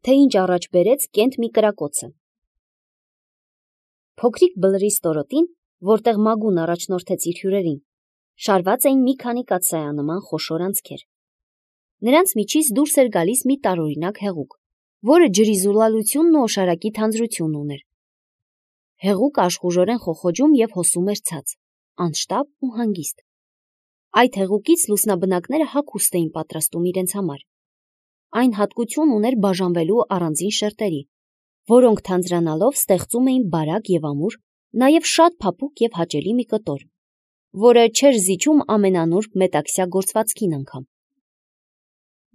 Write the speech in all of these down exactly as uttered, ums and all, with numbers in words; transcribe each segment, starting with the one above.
թե ինչ առաջ բերեց կենտ մի կրակոցը։ Փոքրիկ բլրի ստորոտին, որտեղ Մագուն առաջնորդեց իր հյուրերին, շարված էին մի քանի կաթսայանման խոշոր անցքեր։ Նրանց միջից դուրս էր գալիս մի տարօրինակ հեղուկ, որը ջրի զուլալությունն ու օշարակի թանձրությունն ուներ։ Հեղուկը աշխուժորեն խոխոջում և հոսում էր ցած, անշտապ ու հանգիստ։ Այդ հեղուկից լուսնաբնակները հագուստ էին պատրաստում իրենց համար։ Այն հատկություն ուներ բաժանվելու առանձին շերտերի, որոնք թանձրանալով ստեղծում էին բարակ և ամուր, նաև շատ փափուկ և հաճելի մի կտոր, որը չէր զիջում ամենանուրբ մետաքսյա գործվածքին անգամ։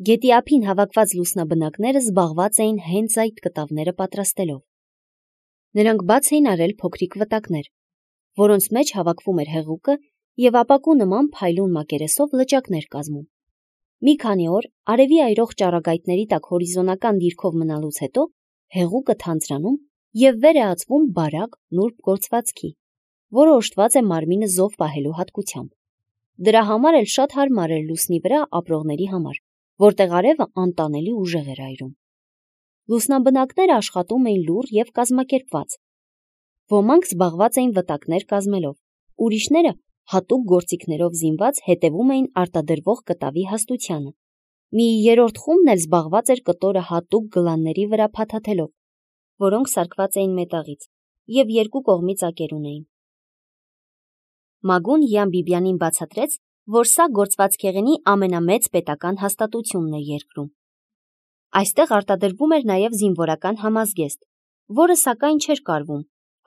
Գետի ափին հավաքված լուսնաբնակները զբաղված էին հենց այդ կտավները պատրաստելով։ Նրանք բաց էին արել փոքրիկ վտակներ, որոնց մեջ հավաքվում էր հեղուկը և ապակու նման փայլուն մակերեսով լճակներ կազմում։ Մի քանի օր արևի այրող ճառագայթների տակ հորիզոնական դիրքով մնալուց հետո հեղուկը թանձրանում և վեր է ածվում բարակ նուրբ գործվածքի, որը օժտված է մարմինը զով պահելու հատկությամբ։ Դրա համար էլ շատ հարմար էր լուսնի վրա ապրողների համար, որտեղ արևը անտանելի ուժեղ էր այրում։ Լուսնաբնակները աշխատում էին լուռ և կազմակերպված։ Ոմանք զբաղված էին վտակներ կազմելով, ուրիշները հատուկ գործիքներով զինված հետևում էին արտադրվող կտավի հաստությանը։ Մի երրորդ խումբն էլ զբաղված էր կտորը հատուկ գլանների վրա փաթաթելով, որոնք սարքված էին մետաղից և երկու կողմից ակեր ունեին։ Մագուն Յան Բիբյանին բացատրեց, որ սա գործվածքեղենի ամենամեծ պետական հաստատությունն է երկրում։ Այստեղ արտադրվում էր նաև զինվորական համազգեստ, որը սակայն չէր կարվում,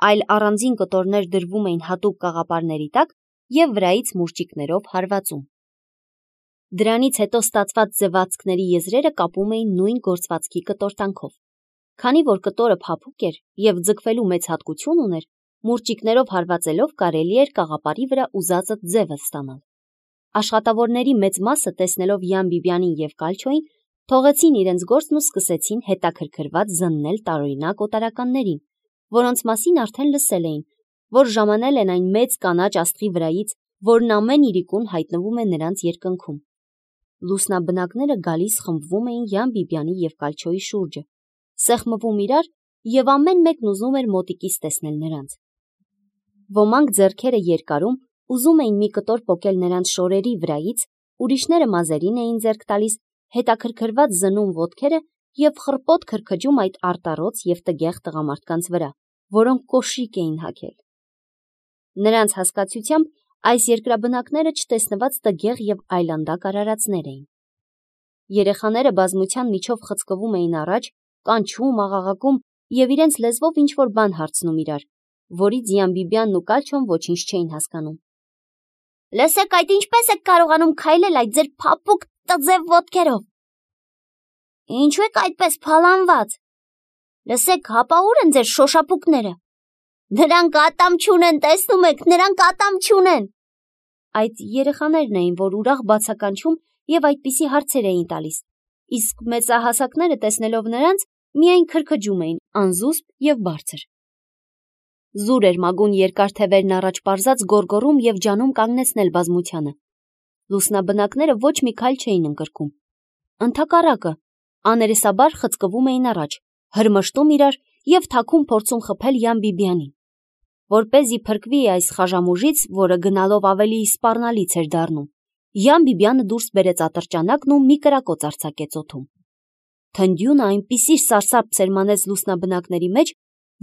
այլ առանձին կտորներ դրվում էին հատուկ կաղապարների տակ և վրայից մուրճիկներով հարվածում։ Դրանից հետո ստացված ձվածքների եզրերը կապում էին նույն գործվածքի կտորտանքով։ Քանի որ կտորը փափուկ էր և ձգվելու մեծ հատկություն ուներ, մուրճիկներով հարվածելով կարելի էր կաղապարի վրա ուզածը ձևը ստանալ։ Աշխատավորների մեծ մասը, տեսնելով Յան Բիբյանին և Կալչոյին, թողեցին իրենց գործն ու սկսեցին հետաքրքրված զննել տարօրինակ օտարականներին, որոնց մասին արդեն լսել էին, որ ժամանել են այն մեծ կանաչ աստղի վրայից, որն ամեն իրիկուն հայտնվում է նրանց երկնքում։ Լուսնաբնակները գալիս խմբվում էին Յան Բիբյանի և Կալչոյի շուրջը, սեղմվում իրար և ամեն մեկն ուզում էր մոտիկից տեսնել նրանց։ Ոմանք ձեռքերը երկարում ուզում էին մի կտոր պոկել նրանց շորերի վրայից, ուրիշները մազերին էին ձեռք տալիս, հետաքրքրված զննում ոտքերը և խռպոտ քրքջում այդ արտառոց և տգեղ տղամարդկանց վրա, որոնք կոշիկ էին հագել։ Նրանց հասկացությամբ այս երկրաբնակները չտեսնված տգեղ և այլանդակ արարածներ էին։ Երեխաները բազմության միջով խցկվում էին առաջ, կանչում, աղաղակում և իրենց լեզվով ինչ-որ բան հարցնում իրար, որից Յան Բիբյանն ու Կալչոն ոչինչ չէին հասկանում։ «Լսեք, այդ ինչպե՞ս եք կարողանում քայլել այդ ձեր փափուկ տձև ոտքերով։ Ինչու եք այդպես փալանված։ Լսեք, հապա ուր են ձեր շոշափուկները։ Նրանք ատամ չունեն, տեսնում եք, նրանք ատամ չունեն»։ Այդ երեխաներն էին, որ ուրախ բացականչում և այդպիսի հարցեր էին տալիս, իսկ մեծահասակները տեսնելով նրանց, միայն քրքջում էին անզուսպ և բարձր։ Զուր էր Մագուն երկար թևերն առաջ պարզած գոռգոռում և ջանում կանգնեցնել բազմությանը։ Լուսնաբնակները ոչ մի քայլ չէին ընկրկում։ Ընդհակառակը, աներեսաբար խցկվում էին առաջ, հրմշտում իրար և թաքուն փորձում խփել Յան Բիբյանին։ Որպեսզի փրկվի այս խաժամուժից, որը գնալով ավելի սպառնալից էր դառնում, Յան Բիբյանը դուրս բերեց ատրճանակն ու մի կրակոց արձակեց օդում։ Թնդյունը այնպիսի սարսափ սերմանեց լուսնաբնակների մեջ,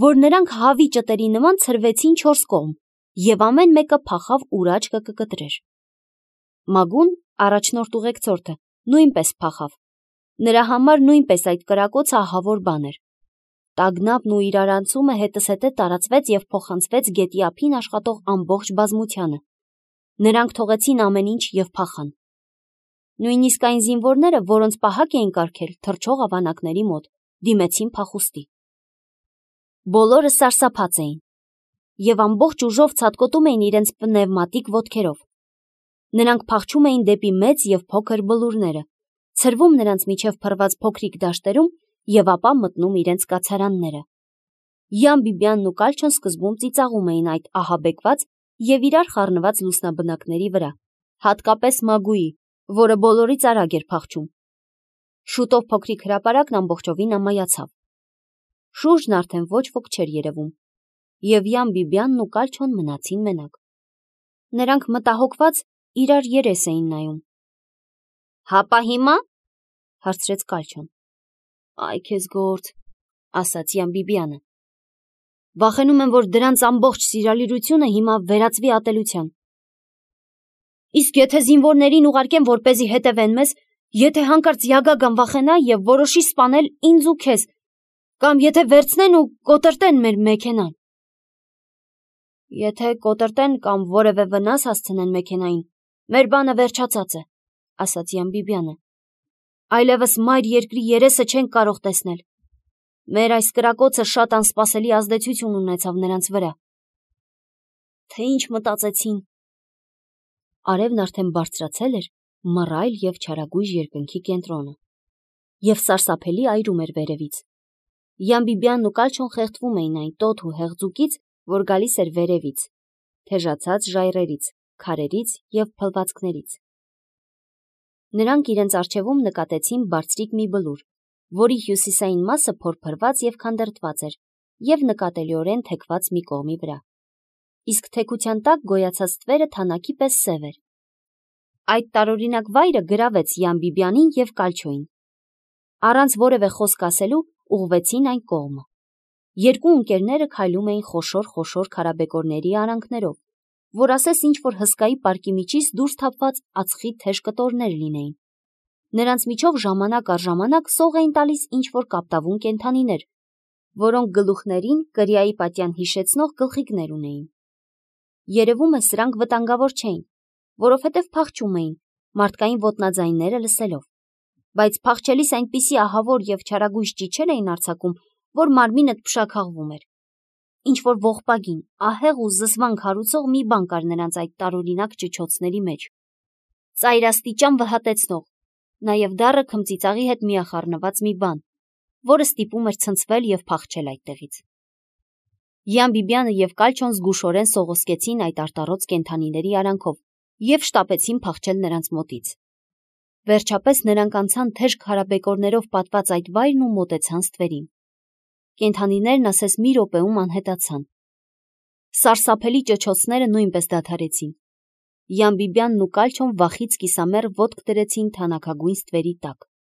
որ նրանք հավի ճտերի նման ցրվեցին չորս կողմ և ամեն մեկը փախավ ուր աչքը կկտրեր։ Մագուն, առաջնորդ ուղեկցորդը, նույնպես փախավ։ Նրա համար նույնպես այդ կրակոցը ահավոր բան էր։ Տագնապն ու իրարանցումը հետզհետե տարածվեց և փոխանցվեց գետի ափին աշխատող ամբողջ բազմությանը։ Նրանք թողեցին ամեն ինչ և փախան։ Նույնիսկ այն զինվորները, որոնց պահակ էին կարգել թռչող ավանակների մոտ, դիմեցին փախուստի։ Բոլորը սարսափած էին և ամբողջ ուժով ցատկոտում էին իրենց պնևմատիկ ոտքերով։ Նրանք փախչում էին դեպի մեծ և փոքր բլուրները, ցրվում նրանց միջև փռված փոքրիկ դաշտերում և ապա մտնում իրենց կացարանները։ Յան Բիբյանն ու Կալչոն սկզբում ծիծաղում էին այդ ահաբեկված և իրար խառնված լուսնաբնակների վրա, հատկապես Մագուի, որը բոլորից արագ էր փախչում։ Շուտով փոքրիկ հրապարակն ամբողջովին ամայացավ։ Շուրջն արդեն ոչ ոք չէր երևում, և Յան Բիբյանն ու Կալչոն մնացին մենակ։ Նրանք մտահոգված իրար երես էին նայում։ Հապա հիմա, հարցրեց Կալչոն։ Այ քեզ գործ, ասաց Յան Բիբյանը։ Վախենում եմ, որ դրանց ամբողջ սիրալիրությունը հիմա վերածվի ատելության։ Իսկ եթե զինվորներին ուղարկեմ, որպեսզի հետևեն մեզ, եթե հանկարծ Յագագան վախենա և որոշի սպանել ինձ ու քեզ, կամ եթե վերցնեն ու կոտրտեն մեր մեքենան։ Եթե կոտրտեն կամ որևէ վնաս հասցնեն մեքենային, մեր բանը վերջացած է, ասաց Յան Բիբյանը։ Այլևս մայր երկրի երեսը չենք կարող տեսնել։ Մեր այս կրակոցը շատ անսպասելի ազդեցություն ունեցավ նրանց վրա։ Թե ինչ մտածեցին։ Արևն արդեն բարձրացել էր մռայլ և չարագույժ երկնքի կենտրոնը, և սարսափելի այրում էր վերևից։ Յան Բիբյանն ու Կալչոն խեղդվում էին այն տոթ ու հեղձուկից, որ գալիս էր վերևից, թեժացած ժայռերից, քարերից և փլվածքներից։ Նրանք իրենց առջևում նկատեցին բարձրիկ մի բլուր, որի հյուսիսային մասը փորփրված և քանդրտված էր և նկատելիորեն թեքված մի կողմի վրա, իսկ թեքության տակ գոյացած թվերը թանաքի պես սև էր։ Այդ տարօրինակ վայրը գրավեց Յան Բիբյանին և Կալչոյին։ Առանց որևէ խոսք ասելու ուղղվեցին այն կողմը։ Երկու ընկերները քայլում էին խոշոր-խոշոր քարաբեկորների արանքներով, որ ասես ինչ-որ հսկայի պարկի միջից դուրս թափված ածխի թեժ կտորներ լինեին։ Նրանց միջով ժամանակ առ ժամանակ սող էին տալիս ինչ-որ կապտավուն կենդանիներ, որոնք գլուխներին կրիայի պատյան հիշեցնող գլխիկներ ունեին։ Երևում է սրանք վտանգավոր չէին, որովհետև փախչում էին, մարդկային ոտնաձայնները լսելով, բայց փախչելիս այնպիսի ահավոր և չարագույժ ճիչեր էին արձակում, որ մարմինդ փշաքաղվում էր։ Ինչ-որ ողբագին, ահեղ ու զզվանք հարուցող մի բան կար նրանց այդ տարօրինակ ճչոցների մեջ։ Ծայրաստիճան վհատեցնող, նաև դառը քմծիծաղի հետ միախառնված մի բան, որը ստիպում էր ցնցվել և փախչել այդտեղից։ Յան Բիբյանը և Կալչոն զգուշորեն սողոսկեցին այդ արտառոց կենդանիների արանքով և շտապեցին փախչել նրանց մոտից։ Վերջապես նրանք անցան թեժ քարաբեկորներով պատված այդ վայրն ու մոտեցան ստվերին։ Կենդանիներն ասես մի րոպեում անհետացան։ Սարսափելի ճչոցները նույնպես դադարեցին։ Յան Բիբյանն ու Կալչոն վախից կիսամեռ ոտք դրեցին թանաքագույն ստվերի տակ։